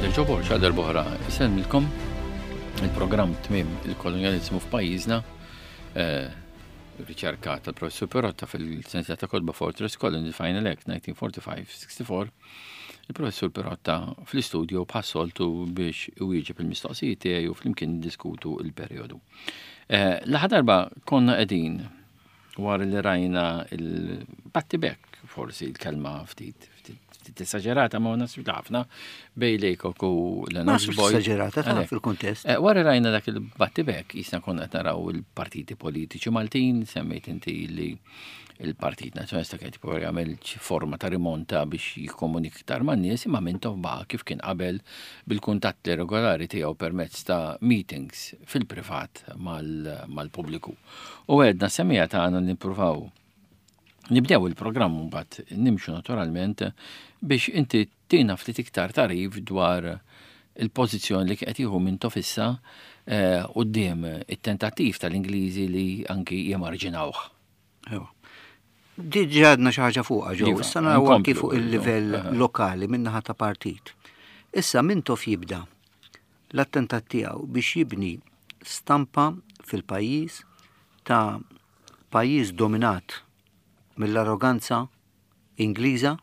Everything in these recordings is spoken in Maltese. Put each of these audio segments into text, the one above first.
Joe Borg għal darb'oħra isellmilkom il-programm tmiem il-kolonjaliżmu f'pajjiżna eh, riċerka tal-professur Perotta fil-sensiela ta' kotba Fortress Colony Final Act 1945-64 il-professur Perotta fl-istudio bħas-soltu biex iwieġeb il-mistoqsijiet tiegħi u flimkien niddiskutu il-perjodu. Eh, l-aħħar darba konna qegħdin Wara li rajna il-battibek, forsi l-kelma ftit ftit esaġerata ma nasib ħafna bej Lejkok u Lennox Boyd. Esaġerata ta' fil-kuntest. Eh, wara rajna dak il-battibek, jisna konna qed naraw il-partiti politiċi Maltin, semmejt inti li il-Partit Nazzjonalista kien jipprova jagħmel forma ta' rimonta biex jikkomunika iktar man-nies imma Mintoff baqa' kif kien qabel bil-kuntatti regolari tiegħu permezz ta' meetings fil-privat mal-pubbliku. U għedna semija tagħna nippruvaw nibdew il-programm mbagħad nimxu naturalment biex inti tina ftit iktar tarif dwar il-pożizzjoni li qed jieħu minn tofissa eh, quddiem it-tentattiv tal-Ingliżi li anki jemarġinawh. Diġà għadna xi ħaġa fuqha ġew, iva, issa naraw anki fuq il-livell lokali min-naħa ta' partit. Issa Mintoff jibda l-attentat tiegħu biex jibni stampa fil-pajjiż ta' pajjiż dominat mill-arroganza Ingliża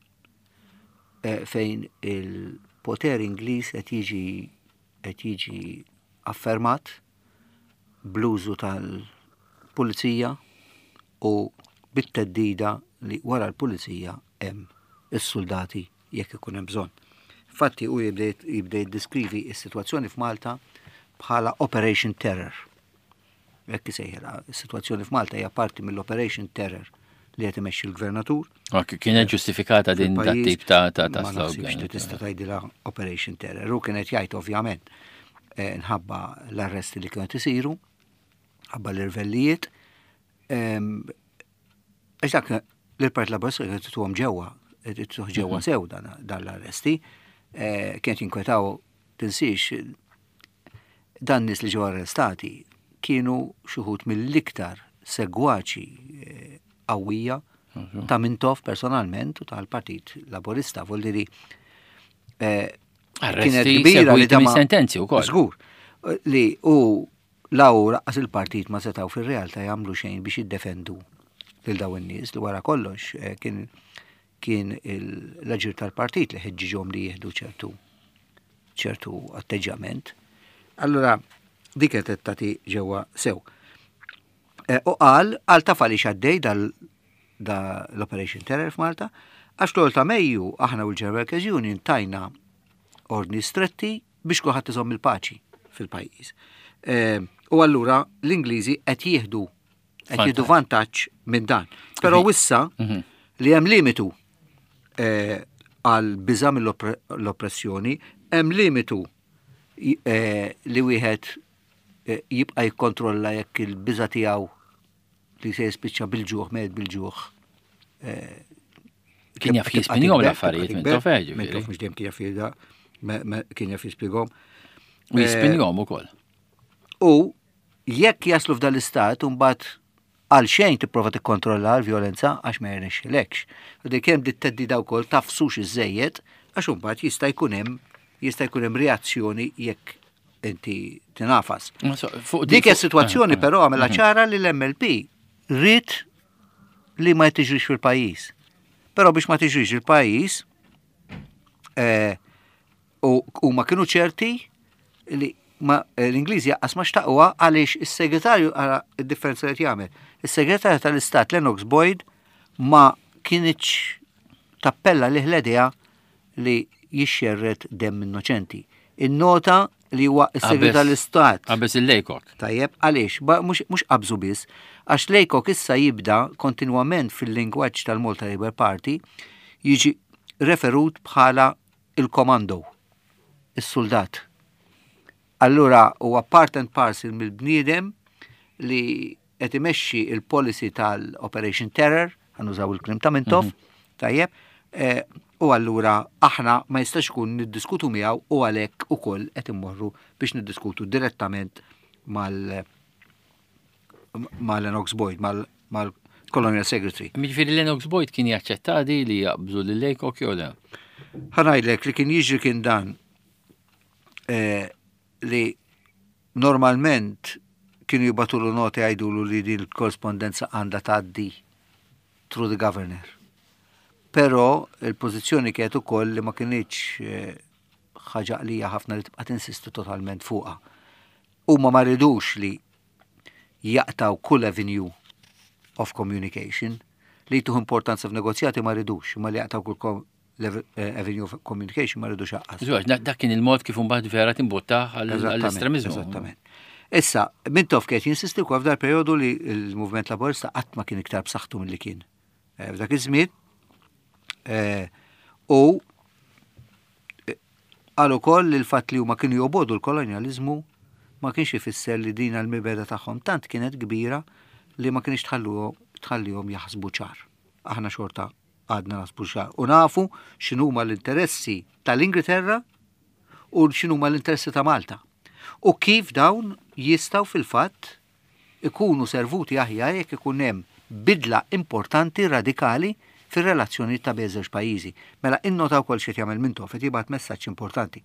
eh, fejn il-poter Ingliż qed jiġi qed jiġi affermat bl-użu tal-pulizija u bit-theddida li wara l-pulizija hemm is-suldati jekk ikun hemm bżonn. Infatti hu jibda jiddeskrivi s-sitwazzjoni f'Malta bħala Operation Terror. Hekk isejħilha, is-sitwazzjoni f'Malta hija parti mill-Operation Terror li qed imexxi l-gvernatur. Kienet ġustifikata din dat tip ta' ta' ta' slogan. Li tista' tgħidilha Operation Terror. U kienet jgħid ovvjament eh, nħabba l-arresti li kienu isiru, ħabba l-irvellijiet. Għax dak l-Partit Laburista kienet tuhom ġewwa, tuh ġewwa mhm. sew dan l-arresti, eh, kienet jinkwetaw tinsiex dan nies li ġew arrestati kienu xi wħud mill-iktar segwaċi eh, qawwija mhm. ta' Mintoff personalment u tal-Partit Laburista, vuol eh, kienet kbira li ta' sentenzi wkoll. Żgur li u La hu laqqas il-partit ma setgħu fir-realtà jagħmlu xejn biex jiddefendu lil dawn in-nies li wara kollox eh, kien kien l-aġir tal-partit li ħeġġiġhom li jieħdu ċertu ċertu atteġġjament. Allura dik qed tagħti ġewwa sew. Eh, u qal għal taf għaliex għaddej dal da l-Operation Terror f'Malta, għax l ta' Mejju aħna u l-General Workers Union tajna ordni stretti biex kulħadd iżomm il-paċi fil-pajjiż. Eh, u allura l-Ingliżi qed jieħdu qed jieħdu vantaġġ minn dan. Però issa mhm. li hemm limitu eh, għal biża mill-oppressjoni, hemm limitu eh, li wieħed jibqa' jikkontrolla jekk il-biża tiegħu li se jispiċċa bil-ġuħ, med bil-ġuħ. Eh, kien jaf jispinjom l-affarijiet minn tofeġ. Minn tof mux dejjem kien jaf jida, kien jaf jispjegom. U jispinjom ukoll. U jekk jaslu f'dan l-istat, mbagħad għal xejn tipprova tikkontrolla l-vjolenza għax ma jirnexxilekx. U dik hemm dit teddida wkoll tafsux iżejjed għax imbagħad jista' jkun hemm jista' jkun hemm reazzjoni jekk inti tinafas. Dik is-sitwazzjoni eh, eh. però għamela mhm. ċara li l-MLP rrid li ma tiġrix fil-pajjiż. Però biex ma tiġrix il-pajjiż eh, u ma kienu ċerti li ma l-Ingliżi jaqqas ma xtaqwa għaliex is-segretarju għara id-differenza li jagħmel. Is-segretarju tal-Istat Lennox Boyd ma kienx tappella li ħledija li jixxerred demm innoċenti. Innota li huwa s-segretarju tal-Istat. Qabeż il-Laycock. Tajjeb, għaliex? Mhux qabżu biss, għax Laycock issa jibda kontinwament fil-lingwaġġ tal-Malta Labour Party jiġi referut bħala il-komando, is-suldat. Allura huwa part and parcel mill-bniedem li qed imexxi il-policy tal-Operation Terror, ħanużaw il-kliem ta' Mintoff, mhm. tajjeb, eh, u allura aħna ma jistax ikun niddiskutu miegħu u għalhekk ukoll qed immorru biex niddiskutu direttament mal mal-Lennox Boyd, mal-Colonial Secretary. Jiġifieri Lennox Boyd kien jaċċetta di li jaqbżu lil Laycock jew le? Ħa ngħidlek li kien jiġri kien dan. eh, li normalment kienu jibatulu noti jgħidulu li din il-korrespondenza għandha tgħaddi through the governor. Però il-pożizzjoni kienet ukoll li ma kinitx eh, ħaġa għalija ħafna li tibqa' tinsisti totalment fuqha. Huma ma ridux li jaqtaw kull avenue of communication li tuħ importanza f'negozjati ma ridux, ma li jaqtaw kull eh, avenue of communication ma ridux aqqas. Dak kien il-mod kif imbagħad vera timbotta għall-estremizmu. Eżattament. Issa, Mintoff kien jinsisti wkoll f'dar perjodu li l-Movement Laborista qatt ma kien iktar b'saħħtu milli kien. Eh, f'dak iż-żmien eh, u Qal ukoll li l-fatt li huma kienu jobogħdu l-kolonjaliżmu ma kienx ifisser li din l-mibegħda tagħhom tant kienet kbira li ma kinitx tħallihom jaħsbu ċar. Aħna xorta għadna naħsbu ċar u nafu x'inhuma l-interessi tal-Ingilterra u x'inhuma l-interessi ta' Malta u kif dawn jistgħu fil-fatt ikunu servuti aħjar jekk ikun hemm bidla importanti radikali fir-relazzjonijiet ta' bejn żewġ pajjiżi. Mela innota wkoll x'qed jagħmel Mintoff, qed jibgħat messaġġ importanti.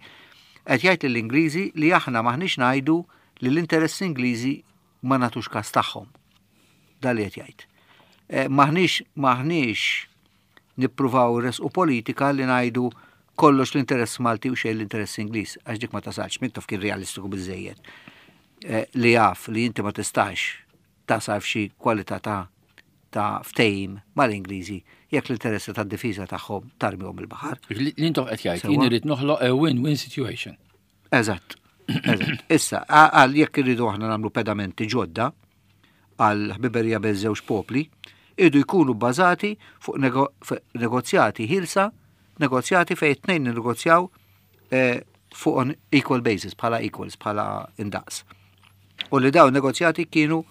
Qed jgħid lill-Ingliżi li aħna m'aħniex ngħidu li l-interessi Ingliżi ma nagħtux każ tagħhom. Dan li qed jgħid. Eh, m'aħniex m'aħniex nippruvaw resqu politika li ngħidu kollox l-interess Malti u xejn l-interess Ingliż, għax dik ma tasalx, Mintoff kien realistiku biżejjed eh, li jaf li inti ma tistax tasal f'xi kwalità ta' ta' ftehim mal-Ingliżi jekk l-interessi tad-difiża tagħhom tarmihom il-baħar. L-intof qed jgħid jien irid noħloq a win-win situation. Eżatt. Eżatt. Issa, għal jekk irridu aħna nagħmlu pedamenti ġodda għal ħbiberija bejn żewġ popli, irridu jkunu bbażati fuq negozjati ħilsa, negozjati fejn it-tnejn negozjaw eh, fuq on equal basis, bħala equals, bħala indaqs. U li dawn negozjati kienu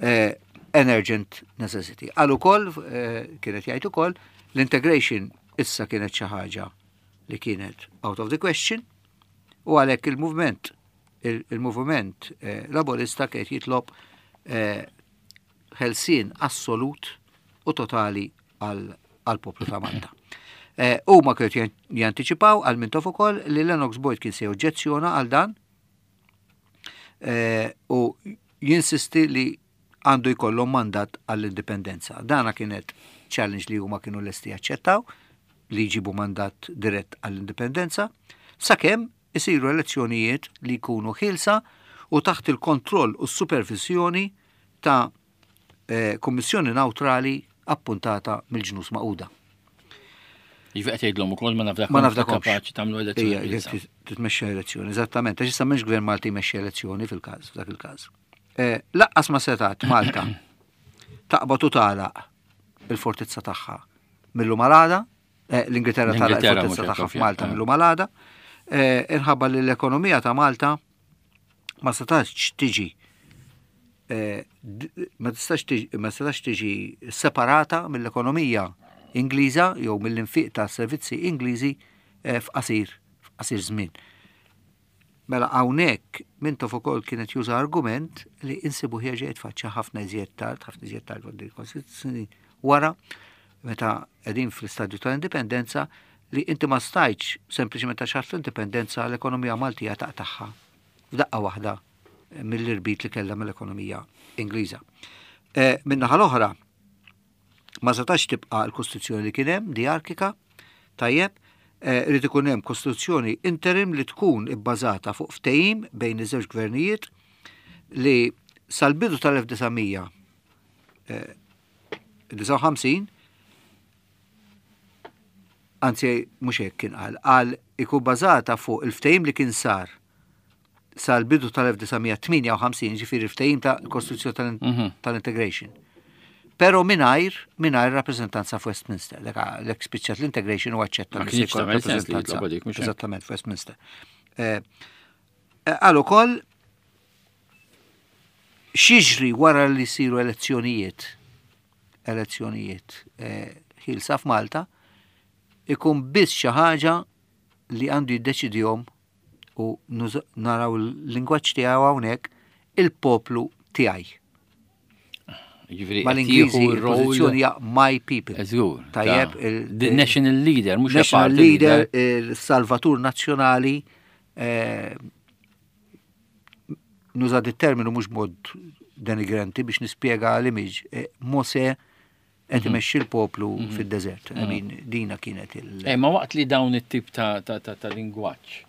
eh, an urgent necessity. Għal ukoll, eh, kienet jgħid ukoll, l-integration issa kienet xi ħaġa li kienet out of the question u għalhekk il-movement il-movement eh, laborista kienet jitlob eh, ħelsien assolut u totali għall-poplu ta' Malta. Eh, huma kienu jantiċipaw għal Mintoff ukoll li Lennox Boyd kien se joġġezzjona għal dan eh, u jinsisti li għandu jkollhom mandat għall-indipendenza. Dana kienet challenge li huma kienu lesti jaċċettaw li jġibu mandat dirett għall-indipendenza, sakemm isiru elezzjonijiet li jkunu ħielsa u taħt il-kontroll u s-supervisjoni ta' eh, kummissjoni nawtrali appuntata mill-ġnus Magħquda. Jiġifieri qed jgħidlhom ukoll ma nafdakomx Ma nafdakomx. kapaċi tagħmlu elezzjoni. Ija, titmexxa elezzjoni, eżattament, għax issa m'hemmx gvern Malti jmexxi elezzjoni fil-każ, f'dak il-każ. Eh, laqqas ma setat Malta taqbad u tagħlaq il-fortizza tagħha mill-lum għal għada, eh, l-Ingilterra tagħlaq L-Ingilterra il-fortizza mhux tagħha qed f'Malta eh. mill-lum għal għada, eh, inħabba li l-ekonomija ta' Malta ma setax tiġi eh, ma tistax ma setax tiġi separata mill-ekonomija Ingliża jew mill-infiq ta' servizzi Ingliżi eh, f'qasir f'qasir żmien. Mela hawnhekk Mintoff ukoll kienet juża argument li insibu ħieġa jitfaċċa ħafna iżjed tard, ħafna iżjed tard wara meta qegħdin fl-istadju tal-indipendenza li inti ma stajtx sempliċement għax ħadt l-indipendenza l-ekonomija Maltija taqtagħha f'daqqa waħda mill-irbit li kellha mill-ekonomija Ingliża. Eh, min-naħa l-oħra, ma setax tibqa' l-Kostituzzjoni li kien hemm, diarkika, tajjeb, eh, irid ikun hemm Kostituzzjoni interim li tkun ibbażata fuq ftehim bejn iż-żewġ gvernijiet li sal-bidu tal-1959 anzi mhux hekk kien qal, qal ikun bażata fuq il-ftehim li kien sar sal-bidu tal-1958, ġifieri il-ftehim ta' Kostituzzjoni mhm. tal-Integration. Pero mingħajr mingħajr rappreżentanza f'Westminster. L-ek spiċċat l-integration u aċċetta li se rappreżentanza. Eżattament f'Westminster. Eh, eh, għal ukoll xiġri wara li siru elezzjonijiet elezzjonijiet eh, ħilsa f'Malta ikun biss xi ħaġa li għandu jiddeċidihom u naraw il-lingwaġġ tiegħu hawnhekk il-poplu tiegħi. Ġifieri Mal-Ingliżi il-pożizzjoni hija my people. Żgur. Tajjeb, The national leader, mhux national leader, il-salvatur nazzjonali. Eh, nuża dit-terminu mhux mod denigrenti biex nispjega l-image. Eh, Mose qed mhm. imexxi l-poplu mhm. fid-deżert. I mhm. mean, dina kienet il- Eh, ma waqt li dawn it-tip ta', ta, ta, ta lingwaġġ,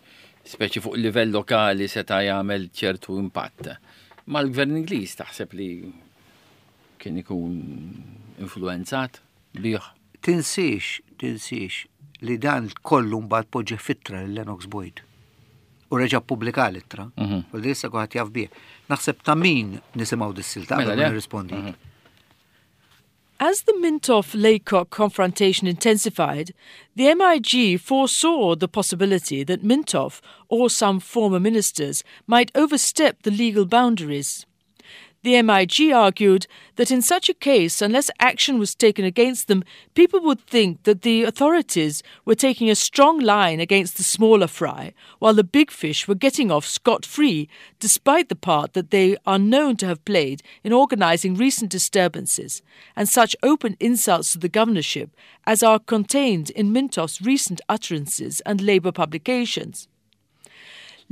speċi fuq livell lokali seta' jagħmel ċertu impatt. Ma l-gvern Ingliż taħseb li kien ikun influenzat bih? Tinsiex, tinsiex li dan kollu mbagħad poġġi fittra lil Lennox Boyd. U reġa' ppubblika l-ittra. U li issa kulħadd jaf bih. Naħseb ta' min nisimgħu dis-silta mela, qabel ma nirrispondi. As the Mintoff-Laycock confrontation intensified, the MIG foresaw the possibility that Mintoff or some former ministers might overstep the legal boundaries. The MIG argued that in such a case, unless action was taken against them, people would think that the authorities were taking a strong line against the smaller fry, while the big fish were getting off scot free, despite the part that they are known to have played in organizing recent disturbances and such open insults to the governorship as are contained in Mintoff's recent utterances and Labour publications.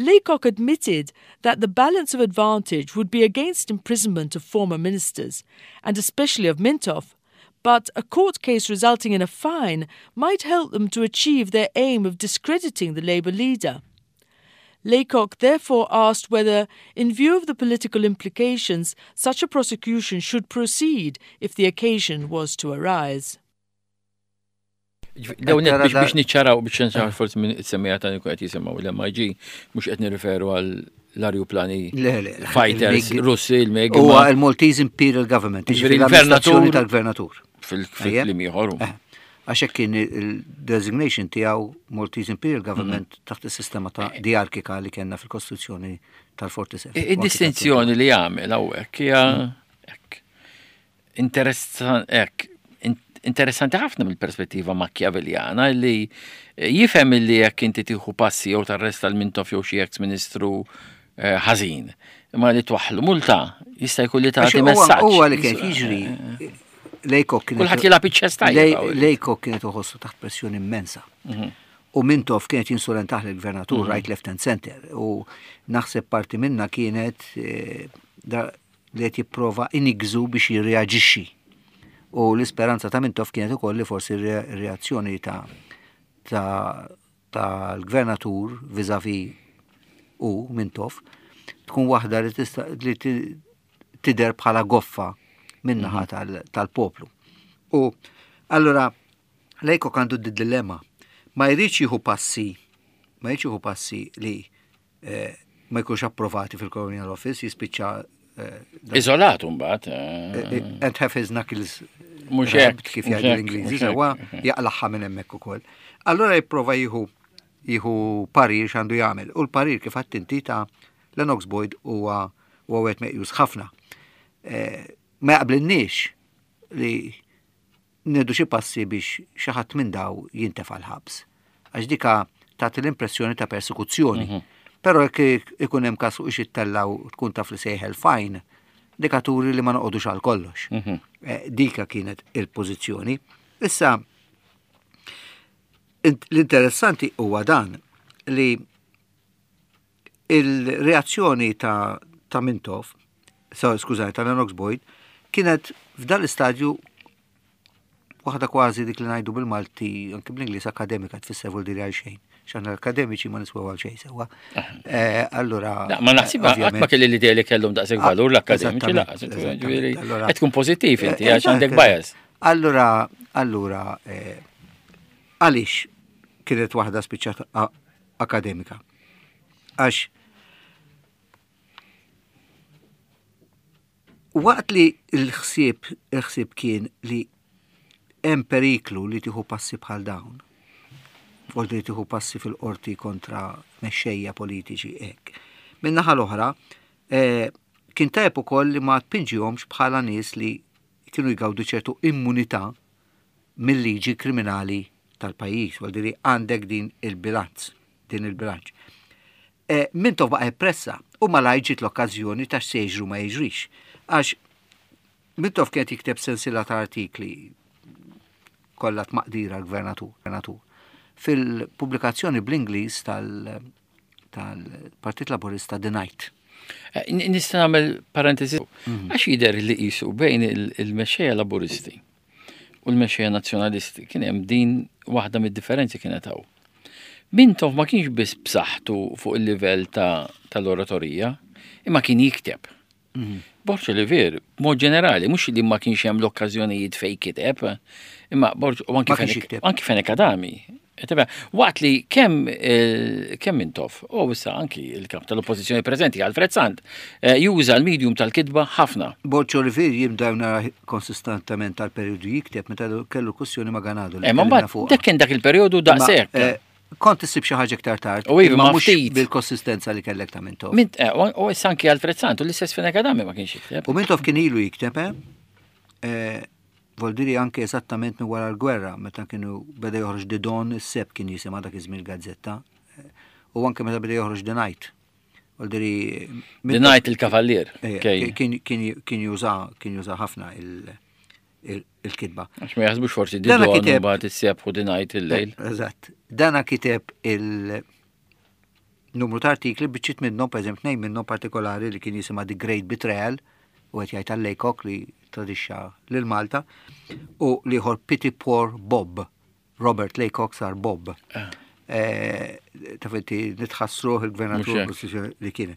Laycock admitted that the balance of advantage would be against imprisonment of former ministers, and especially of Mintoff, but a court case resulting in a fine might help them to achieve their aim of discrediting the Labour leader. Laycock therefore asked whether, in view of the political implications, such a prosecution should proceed if the occasion was to arise. Dawn biex biex niċċaraw biex niċċaraw forsi minn it-semmija ta' qed jisimgħu l-MIG mhux qed nirriferu għal l-arjuplani fighters Russi il-MEG. Huwa l-Maltese Imperial Government, jiġifieri l-amministrazzjoni tal-gvernatur. Fil-kliem ieħor. Eh, għax hekk kien il-designation tiegħu Maltese Imperial Government mhm. taħt is-sistema ta' eh. diarkika li kellna fil-Kostituzzjoni tal-47. Id-distinzjoni li jagħmel hawnhekk hija mhm. hekk. Interessanti ħafna mill-perspettiva Machiavelliana li jifhem li jekk inti tieħu passi jew tarresta l-Mintoff jew xi ex-ministru eh, ħażin, imma li twaħħlu multa jista' jkun li tagħti messaġġ. Huwa li kien jiġri eh, Lejkok kien. Kulħadd jilgħab iċ-ċess tajjeb. Lejkok kienet uħossu taħt pressjoni immensa. Mhm. U Mintoff kienet jinsulentah lill-gvernatur mhm. right, left and center. U naħseb parti minna kienet eh, li qed jipprova iniggżu biex jirreaġixxi. U l-isperanza ta' Mintoff kienet ukoll li forsi r-reazzjoni ta' tal-gvernatur vizavi u Mintoff tkun waħda li tista' li tidher bħala goffa min-naħa mhm. tal-poplu. U allura Lejkok għandu d-dilemma. Ma jridx jieħu passi, ma jridx jieħu passi li eh, ma jkunx approvati fil-Colonial Office, jispiċċa eh, Iżolat mbagħad. Eh, and have his knuckles mhux hekk kif jgħidu l-Ingliżi, sewwa jaqlaħħa minn hemmhekk ukoll. Allura jipprova jieħu jieħu parir x'għandu jagħmel. U l-parir kif għadt inti ta' Lennox Boyd huwa huwa wieħed meqjus ħafna. Ma jaqblinniex li nieħdu xi passi biex xi ħadd minn daw jintefa' l-ħabs. Għax dika tagħti l-impressjoni ta' persekuzzjoni. Mhm. Però jekk ikun hemm każ fuq xittella u tkun taf li sejħel fajn, dika turi li ma noqogħdux għal kollox. Mhm. Eh, dika kienet il-pożizzjoni. Issa l-interessanti huwa dan li Il-reazzjoni ta' ta' Mintoff, skużani, ta' Lennox Boyd, kienet f'dan l-istadju waħda kważi dik li ngħidu bil-Malti, anke bl-Ingliż akademika tfisser vuol dire għal xejn. X'aħna l-akademiċi ma niswew għal xejn sewwa. Eh, allura. Ma naħsib qatt ma kelli l-idea li kellhom daqshekk ah, valur l-akademiċi laqas. Qed tkun pożittiv inti eh, għax għandek bias. Allura, allura, eh, għaliex kienet waħda spiċċat akademika. Għax waqt li l-ħsieb il-ħsieb kien li hemm periklu li tieħu passi bħal dawn, u li tieħu passi fil-qorti kontra mexxejja politiċi hekk. Min-naħa l-oħra, eh, kien tajjeb ukoll li ma tpinġihomx bħala nies li kienu jgawdu ċertu immunità mil-liġi kriminali tal-pajjiż, vuol dire għandek din il-bilanz, din il-bilanċ. E, Mintoff baqa' jippressa u malajr ġiet l-okkażjoni ta' x'se jiġru ma jiġrix. Għax Mintoff kienet jikteb sensiela ta' artikli kollha tmaqdira l-gvernatur. Fil-pubblikazzjoni bl-Ingliż tal tal-Partit Laburista The Knight. Eh, nista' nagħmel parentesi mhm. għax jidher li qisu bejn il-mexxejja Laburisti u l-mexxejja Nazzjonalisti kien hemm din waħda mid-differenzi kienet hawn. Mintoff ma kienx biss b'saħħtu fuq il-livell tal-oratorija, imma kien jikteb. Mhm. Borg Olivier, mod ġenerali, mhux li ma kienx hemm l-okkażjonijiet fej kiteb, imma Borg u anki Fenech Adami. Waqt li kemm eh, kemm Mintoff, u issa anki il-kap tal-oppożizzjoni preżenti Alfred Sant, eh, juża l-medium tal-kitba ħafna. Borg Olivier jibda nara konsistentament tal-periodu jikteb meta kellu kwestjoni ma' Ganado. Eh, ma mbagħad dak kien dak il-periodu daqshekk. Kont issib xi ħaġa iktar tard. U iva, ma mhux bil-konsistenza li kellek ta' Mintoff. Mint, eh, u issa anki Alfred Sant u l-istess Fenech Adami ma kienx jikteb. U Mintoff kien ilu jikteb, eh? eh Voldiri anke eżattament minn wara l-gwerra, meta kienu beda joħroġ The Dawn, is-Seb kien jisimha dak iż-żmien gazzetta eh, u anke meta beda joħroġ The Night. Voldiri. The Night il-Kavallier. Kien juża kien juża ħafna il- il-kitba. Għax ma jaħsbux forsi di dona kiteb mbagħad issebħu di ngħid il-lejl. Eżatt. Dana kiteb il-numru ta' artikli biċċiet minnhom, pereżempju tnejn minnhom partikolari li kien jisimha The Great Betrayal u qed jgħid għal Laycock li tradixxa lil Malta u l-ieħor Pity Poor Bob. Robert Laycock sar Bob. Ah. Eh, taf inti nitħassruh il-gvernatur li kien.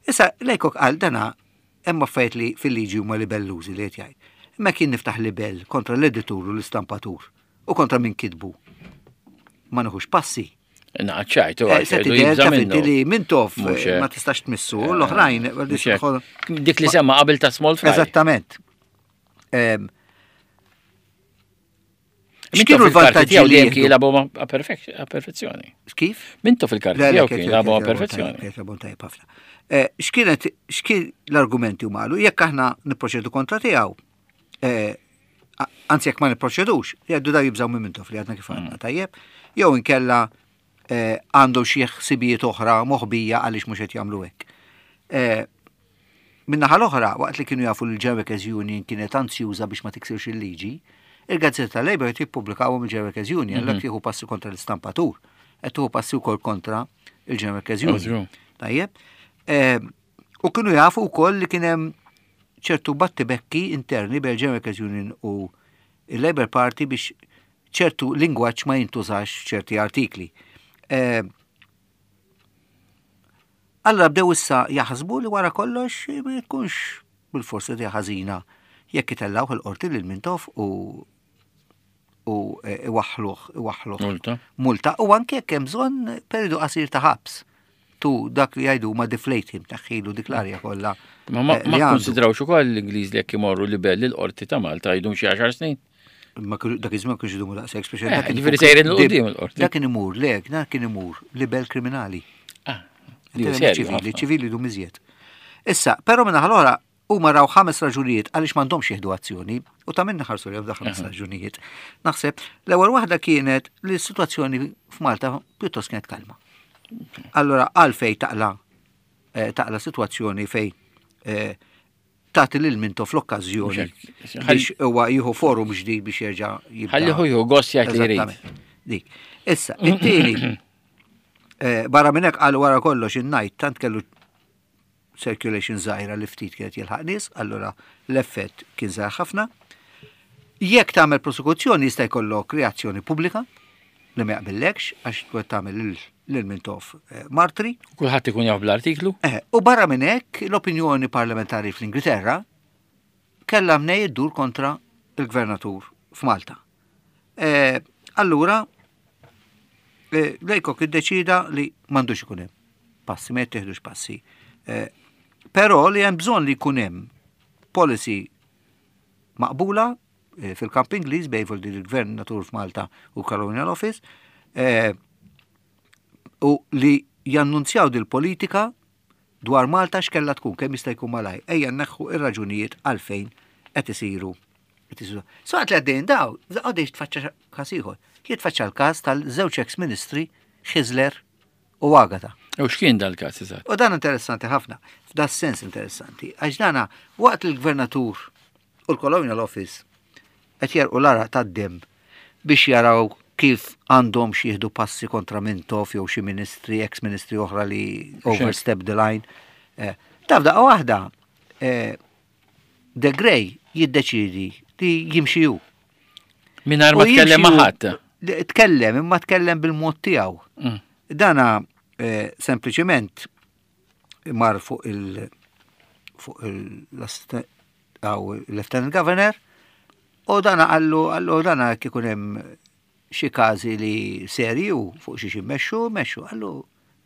Issa Laycock qal dana Hemm affarijiet li fil-liġi huma libellużi li qed jgħid. Imma jekk jien niftaħ libell kontra l-editur u l-istampatur u kontra min kitbu, ma nieħux passi. Naċċajtu, eh, se tidher taf inti li Mintoff eh, ma tistax tmissu, eh, l-oħrajn. Dik li semma qabel ta' small fry. Eżattament. X'kienu l-vantaġġi li kien jilagħbu a perfezzjoni? Kif? Mintu fil-karti tiegħu kien jilagħbu a perfezzjoni. Eh, x'kienet x'kien l-argumenti huma qalu jekk aħna nipproċedu kontra tiegħu, eh, anzi jekk ma nipproċedux, jgħidu daw jibżgħu minn Mintoff li għadna kif għandna mm. tajjeb, jew inkella eh, għandu xi ħsibijiet oħra moħbija għaliex mhux qed jagħmlu hekk. Min-naħa l-oħra, waqt li kienu jafu li l-General Workers Union kienet anzjuża biex ma tiksirx il-liġi, il-gazzetta tal-Labour qed jippubblikawhom il-General Workers Union, allura mhm. tieħu passi kontra l-istampatur, qed tieħu passi wkoll kontra il-General Workers Union. Tajjeb. Ehm, u kienu jafu wkoll li kien hemm ċertu battibekki interni bejn il-General Workers Union u il-Labour Party biex ċertu lingwaġġ ma jintużax ċerti artikli. Ehm, Allura bdew issa jaħsbu li wara kollox ma jkunx bil-forsi idea ħażina jekk itellgħuh il-qorti lil Mintoff u u e, iwaħħluh iwaħħluh. Multa. Multa u anke jekk hemm bżonn periodu qasir ta' ħabs. Tu dak li jgħidu ma deflate him taħħilu dik l-arja kollha. Ma ma eh, konsidrawx ukoll l-Ingliż li jekk imorru libell il-qorti ta' Malta jdum xi għaxar snin. Ma dak iż-żmien kienx idumu daqshekk, speċi eh, dak Ġifieri sejrin l qudiem il-qorti. Dak kien imur, le, dak kien imur libel kriminali. Ah, ċivili, ċivili dum iżjed. Issa, però minn l-oħra huma raw ħames raġunijiet għaliex m'għandhomx jieħdu azzjoni u ta' minna ħarsu li ħames raġunijiet. Naħseb l-ewwel waħda kienet li s-sitwazzjoni f'Malta pjuttost kienet kalma. Allora għalfej taqla eh, taqla sitwazzjoni fej eh, tagħti lil Mintoff l-okkażjoni biex huwa jieħu forum ġdid biex jerġa' jibda. Ħalli hu jieħu gost jgħid li jrid. Dik. Issa, it-tieni eh, barra minn hekk qal wara kollox in-najt tant kellu circulation żgħira li ftit kienet jilħaq nies, allura l-effett kien żgħir ħafna. Jekk tagħmel prosekuzzjoni jista' jkollok reazzjoni pubblika li ma jaqbillekx għax tkun tagħmel lil Mintoff eh, martri. Kulħadd ikun jaf bl-artiklu. Eh, u barra minn hekk l-opinjoni parlamentari fl-Ingilterra kellha mnej iddur kontra il-gvernatur f'Malta. Eh, allura, Lejkok iddeċida li m'għandux ikun hemm passi, ma jittieħdux passi. Però li hemm bżonn li jkun hemm policy maqbula eh, fil-kamp Ingliż bejn il-Gvern Natur f'Malta u Colonial Office eh, u li jannunzjaw dil-politika dwar Malta x'kella tkun kemm jista' jkun malaj. Ejja nneħħu ir-raġunijiet għalfejn qed isiru. Saqt li għaddejn daw, għaddejn tfaċċa każ ieħor. Jitfaċċa l-każ tal-żewġ ex-ministri Xizler u Agata. U x'kien dal-każ eżatt? U dan interessanti ħafna, f'da sens interessanti, għax dana waqt il-gvernatur u l-Colonial Office qed jerqu l-għaraq tad-demm biex jaraw kif għandhom jieħdu passi kontra Mintoff jew xi ministri, ex-ministri oħra li overstep the line. Eh, taf daqqa waħda, eh, De Grey jiddeċidi li jimxi hu. Mingħajr ma tkellem ma' ħadd. Tkellem, imma tkellem bil-mod tiegħu. Dana eh, sempliċement mar fuq il fuq il-Lieutenant Governor u dana għallu għallu dana kikun hemm xi każi li serju fuq xi xi mexxu, mexxu, għallu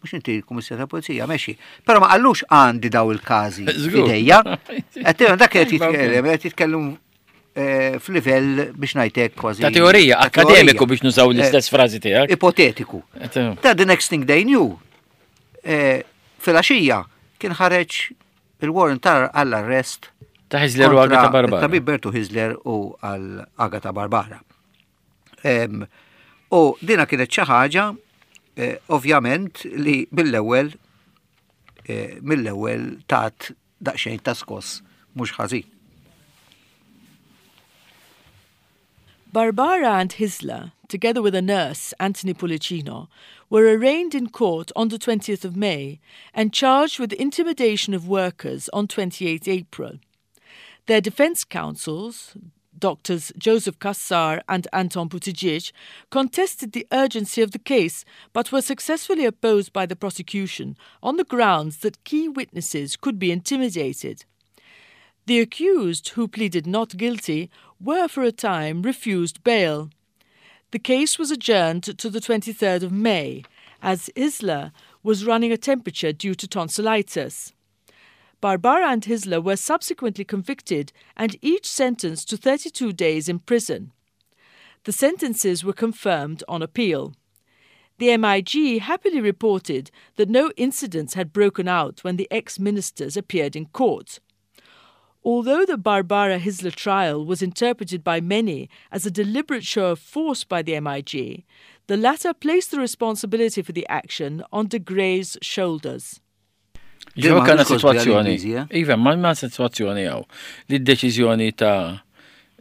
mhux inti l-Kummissarju ta' Pulizija mexxi. Però ma qallux għandi daw il-każi f'idejja. Qed dak qed jitkellem, qed jitkellem eh, f'livell biex ngħidlek kważi. Ta' teorija, akademiku biex nużaw l-istess frażi tiegħek. Ipotetiku. Ta' the next thing they knew, eh, fil-għaxija kien ħareġ il-warrant ta' għall-arrest Ta' Hyzler u Agata Barbara. Ta' Bertu Hyzler u għal Agata Barbara. U dina kienet xi ħaġa eh, ovvjament li mill-ewwel eh, mill-ewwel tat daqsxejn ta' skoss mhux ħażin. Barbara and Hyzler, together with a nurse, Anthony Pullicino, were arraigned in court on the 20th of May and charged with intimidation of workers on 28 April. Their defense counsels, Doctors Joseph Cassar and Anton Buttigieg, contested the urgency of the case but were successfully opposed by the prosecution on the grounds that key witnesses could be intimidated. The accused, who pleaded not guilty, were for a time refused bail. The case was adjourned to the 23rd of May, as Hyzler was running a temperature due to tonsillitis. Barbara and Hyzler were subsequently convicted and each sentenced to 32 days in prison. The sentences were confirmed on appeal. The MIG happily reported that no incidents had broken out when the ex-ministers appeared in court. Although the Barbara Hyzler trial was interpreted by many as a deliberate show of force by the MIG, the latter placed the responsibility for the action on de Grey's shoulders. Ġew kellna situazzjoni. Iva, ma ma situazzjoni hawn li d-deċiżjoni ta'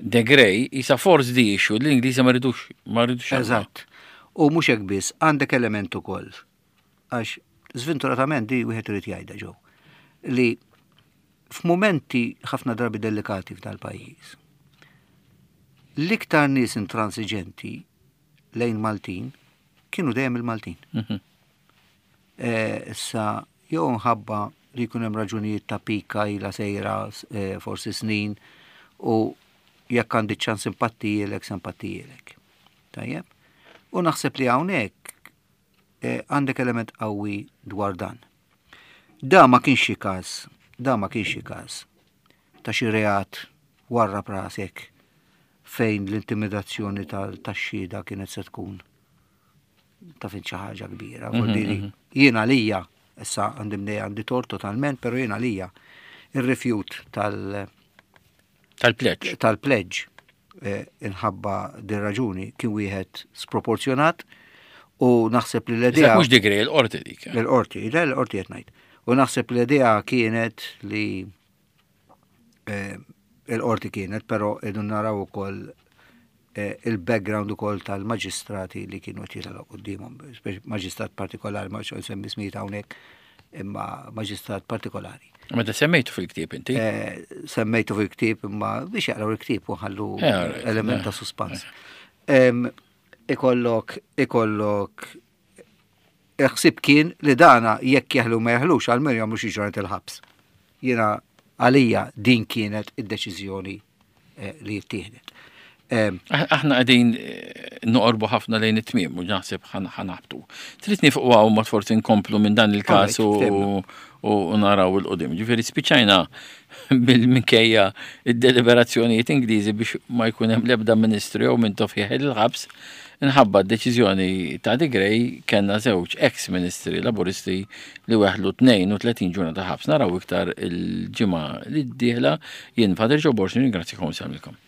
De Grey isa force the issue li l-Ingliżi ma ridux ma ridux. Eżatt. U mhux hekk biss, għandek element ukoll. Għax żventuratament di wieħed irid jgħidha ġew li f'mumenti ħafna drabi delikati f'dal-pajjiż. L-iktar nies intransiġenti lejn Maltin kienu dejjem il-Maltin. Eh, issa jew nħabba li jkun hemm raġunijiet ta' pika ila sejra eh, forsi snin u jekk għandi ċans simpattijielek, simpattijielek. Tajjeb? U naħseb li hawnhekk eh, għandek element qawwi dwar dan. Da ma kienx xi każ, da ma kienx xi każ ta' xi reat warra prasek fejn l-intimidazzjoni tax-xhieda kienet se tkun ta' fin xi ħaġa kbira. Vuol Jien għalija, issa għandi mnej għandi tort totalment, però jien għalija ir-rifjut tal- Tal-pledge. Tal-pledge eh, inħabba din raġuni kien wieħed sproporzjonat u naħseb li l-idea. Mhux digri l-qorti dik. Eh. L-qorti, l-qorti qed ngħid. U naħseb li l-idea kienet li eh, il-qorti kienet, però idu naraw ukoll eh, il-background ukoll tal-maġistrati li kienu qed jitilgħu quddiemhom, maġistrat partikolari, ma xogħol semmi smijiet hawnhekk, imma maġistrat partikolari. Meta semmejtu fil-ktieb inti? Eh, semmejtu fil-ktieb imma biex jaqraw il-ktieb u ħallu element ta' suspans. Ikollok, ikollok Il-ħsieb kien li dana jekk jeħlu ma jeħlux għalmenu jagħmlu xi ġranet il-ħabs. Jiena għalija din kienet id-deċiżjoni eh, li ttieħdet. Aħna qegħdin eh, noqorbu ħafna lejn it-tmiem u naħseb ħanaħbtu. Trid nifqu hawn ma forsi nkomplu minn dan il-każ u naraw il-qudiem. Ġifieri spiċċajna bil-minkejja id-deliberazzjonijiet Ingliżi biex ma jkun hemm l-ebda ministru jew minn tofjeħ il-ħabs Inħabba d-deċiżjoni ta' De Grey kellna żewġ eks ministri Laburisti li weħlu 32 ġurnata ħabs. Naraw iktar il-ġimgħa li d-dieħla jien Father Joe Borg nirringrazzjakom u nsellmilkom.